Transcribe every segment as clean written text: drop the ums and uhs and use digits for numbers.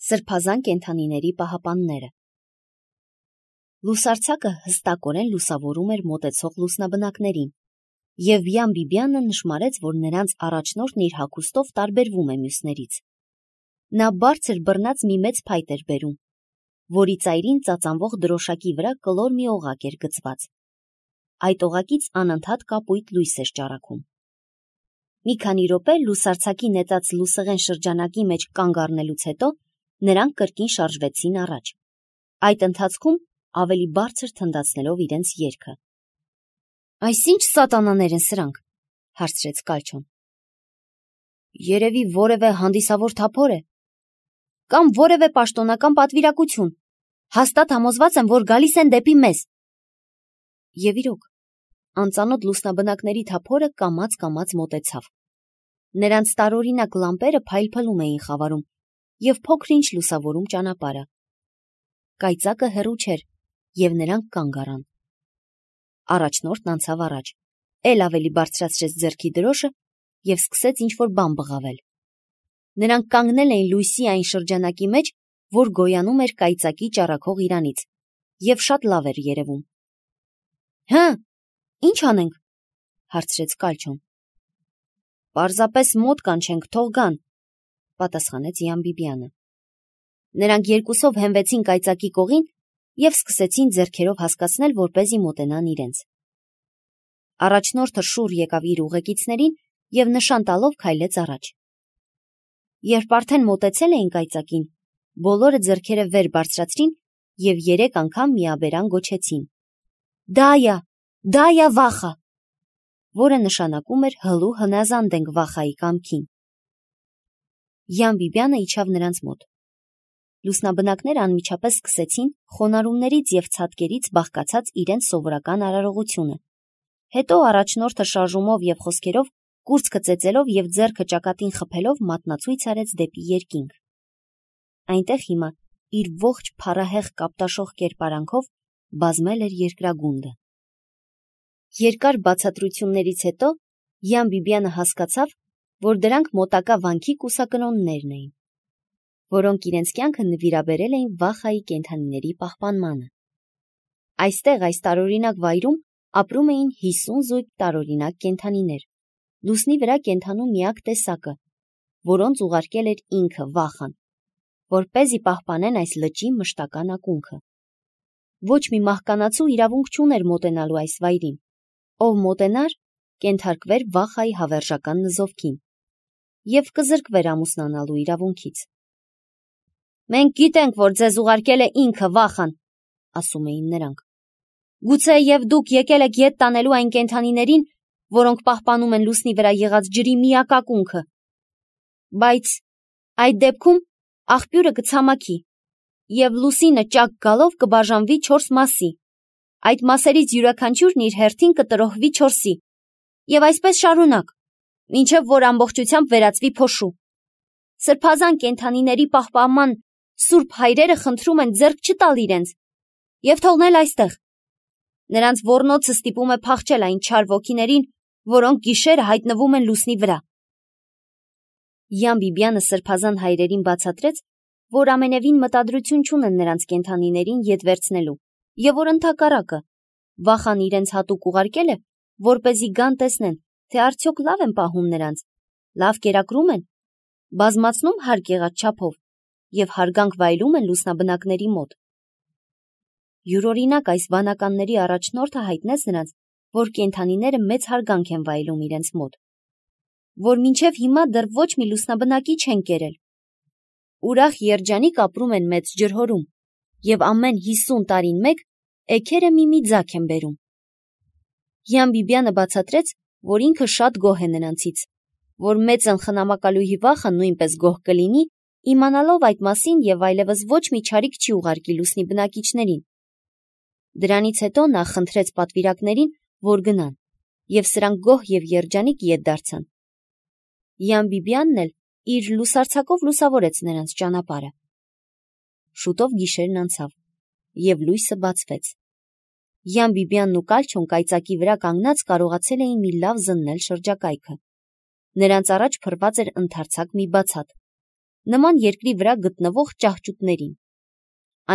Սրբազան կենդանիների պահապանները։ Լուսարձակը հստակորեն լուսավորում էր մոտեցող լուսնաբնակներին, և Յան Բիբյանը նշմարեց, որ նրանց առաջնորդն իր հագուստով տարբերվում է մյուսներից։ Նա բարձր բռնած մի մեծ փայտ էր բերում, որի ծայրին ծածանվող դրոշակի վրա կլոր մի օղակ էր գծված։ Այդ օղակից անընդհատ կապույտ լույս էր ճառագում։ Մի քանի րոպե լուսարձակի նետած լուսեղեն շրջանակի մեջ կանգ առնելուց հետո նրանք կրկին շարժվեցին առաջ, այդ ընթացքում ավելի բարձր թնդացնելով իրենց երգը։ «Այս ինչ սատանաներ են սրանք», հարցրեց Կալչոն։ «Երևի որևէ հանդիսավոր թափոր է, կամ որևէ պաշտոնական պատվիրակություն, հաստատ համոզված եմ, որ գալիս են դեպի մեզ»։ Եվ իրոք, անծանոթ լուսնաբնակների թափորը կամաց-կամաց մոտեցավ։ Նրանց տարօրինակ լամպերը փայլփլում էին խավարում և փոքր-ինչ լուսավորում ճանապարհը։ Կայծակը հեռու չէր, և նրանք կանգ առան։ Առաջնորդն անցավ առաջ, էլ ավելի բարձրացրեց ձեռքի դրոշը և սկսեց ինչ-որ բան բղավել։ Նրանք կանգնել էին լույսի այն շրջանակի մեջ, որ գոյանում էր կայծակի ճառագող իրանից, և շատ լավ էր երևում։ «Հը, ի՞նչ անենք», հարցրեց Կալչոն։ «Պարզապես մոտ կանչենք, թող գան», պատասխանեց Յան Բիբյանը։ Նրանք երկուսով հենվեցին կայծակի կողին և սկսեցին ձեռքերով հասկացնել, որպեսզի մոտենան իրենց։ Առաջնորդը շուռ եկավ իր ուղեկիցներին և նշան տալով քայլեց առաջ։ Երբ արդեն մոտեցել էին կայծակին, բոլորը ձեռքերը վեր բարձրացրին և 3 անգամ միաբերան գոչեցին. «Դայա, դայա վախա», որը նշանակում էր հլու հնազանդ ենք վախայի կամքին։ Յան Բիբյանը իջավ նրանց մոտ։ Լուսնաբնակները անմիջապես սկսեցին խոնարհումներից և ցատկերից բաղկացած իրենց սովորական արարողությունը։ Հետո առաջնորդը շարժումով և խոսքերով, կուրծքը ծեծելով և ձեռքը ճակատին խփելով մատնացույց արեց դեպի երկինք։ Այնտեղ հիմա իր ողջ փառահեղ կապտաշող կերպարանքով բազմել էր երկրագունդը։ Երկար բացատրություններից հետո Յան Բիբյանը հասկացավ, որ դրանք մոտակա վանքի կուսակրոններն էին, որոնք իրենց կյանքը նվիրաբերել էին վախայի կենդանիների պահպանմանը։ Այստեղ, այս տարօրինակ վայրում, ապրում էին 50 զույգ տարօրինակ կենդանիներ, լուսնի վրա կենդանու միակ տեսակը, որոնց ուղարկել էր ինքը վախան, որպեսզի պահպանեն այս լճի մշտական ակունքը։ Ոչ մի մահկանացու իրավունք չուներ մոտենալու այս վայրին, ով մոտենար, կենթարկվեր վախայի հավերժական նզովքին և կզրկվեր ամուսնանալու իրավունքից։ «Մենք գիտենք, որ ձեզ ուղարկել է ինքը վախան», ասում էին նրանք։ «Գուցե և դուք եկել եք ետ տանելու այն կենդանիներին, որոնք պահպանում են լուսնի վրա եղած ջրի միակ ակունքը։ Բայց այդ դեպքում աղբյուրը կցամաքի, և լուսինը ճակ գալով կբաժանվի 4 մասի, այդ մասերից յուրաքանչյուրն իր հերթին կտրոհվի 4-ի, և այսպես շարունակ, մինչև որ ամբողջությամբ վերածվի փոշու։ Սրբազան կենդանիների պահպանման սուրբ հայրերը խնդրում են ձեռք չտալ իրենց և թողնել այստեղ։ Նրանց ոռնոցը ստիպում է փախչել այն չար ոգիներին, որոնք գիշերը հայտնվում են լուսնի վրա»։ Յան Բիբյանը սրբազան հայրերին բացատրեց, որ ամենևին մտադրություն չունեն նրանց կենդանիներին ետ վերցնելու, և որ ընդհակառակը, վախան իրենց հատուկ ուղարկել է, որպեսզի գան տեսնեն, թե արդյոք լավ են պահում նրանց, լավ կերակրում են, բազմացնում հարկ եղած չափով և հարգանք վայելում են լուսնաբնակների մոտ։ Յուրօրինակ այս վանականների առաջնորդը հայտնեց նրանց, որ կենդանիները մեծ հարգանք են վայելում իրենց մոտ, որ մինչև հիմա դեռ ոչ մի լուսնաբնակի չեն կերել։ Ուրախ երջանիկ ապրում են մեծ ջրհորում և ամեն 50 տարին մեկ էգերը մի ձագ են բերում։ Յան Բիբյանը բացատրեց, որ ինքը շատ գոհ է նրանցից, որ մեծն խնամակալուհի վախը նույնպես գոհ կլինի, իմանալով այդ մասին և այլևս ոչ մի չարիք չի ուղարկի լուսնի բնակիչներին։ Դրանից հետո նա խնդրեց պատվիրակներին, որ գնան, և սրանք գոհ և երջանիկ ետ դարձան։ Յան Բիբյանն էլ իր լուսարձակով լուսավորեց նրանց ճանապարհը։ Շուտով գիշերն անցավ, և լույսը բացվեց։ Յան Բիբյանն ու Կալչոն կայծակի վրա կանգնած կարողացել էին մի լավ զննել շրջակայքը։ Նրանց առաջ փռված էր ընդարձակ մի բացատ, նման երկրի վրա գտնվող ճահճուտներին։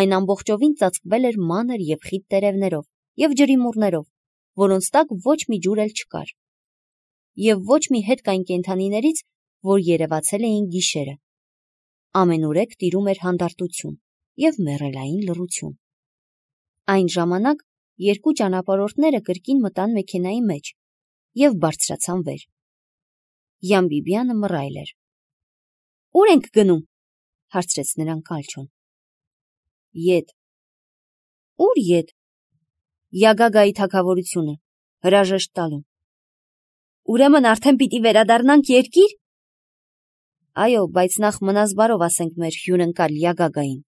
Այն ամբողջովին ծածկվել էր մանր և խիտ տերևներով և ջրիմուռներով, որոնց տակ ոչ մի ջուր էլ չկար, և ոչ մի հետք այն կենդանիներից, որ երևացել էին գիշերը։ Ամենուրեք տիրում էր հանդարտություն և մեռելային լռություն։ Այն ժամանակ երկու ճանապարհորդները կրկին մտան մեքենայի մեջ և բարձրացան վեր։ Յան-Բիբյանը մռայլ էր։ «Ո՞ւր ենք գնում», հարցրեց նրան Կալչոն։ «Ետ»։ «Ո՞ւր ետ»։ «Յագագայի թագավորությունը, հրաժեշտ տալու»։ «Ուրեմն արդեն պիտի վերադառնանք երկիր»։ «Այո, բայց նախ մնաս բարով ասենք մեր հյուրընկալ Յագագային»։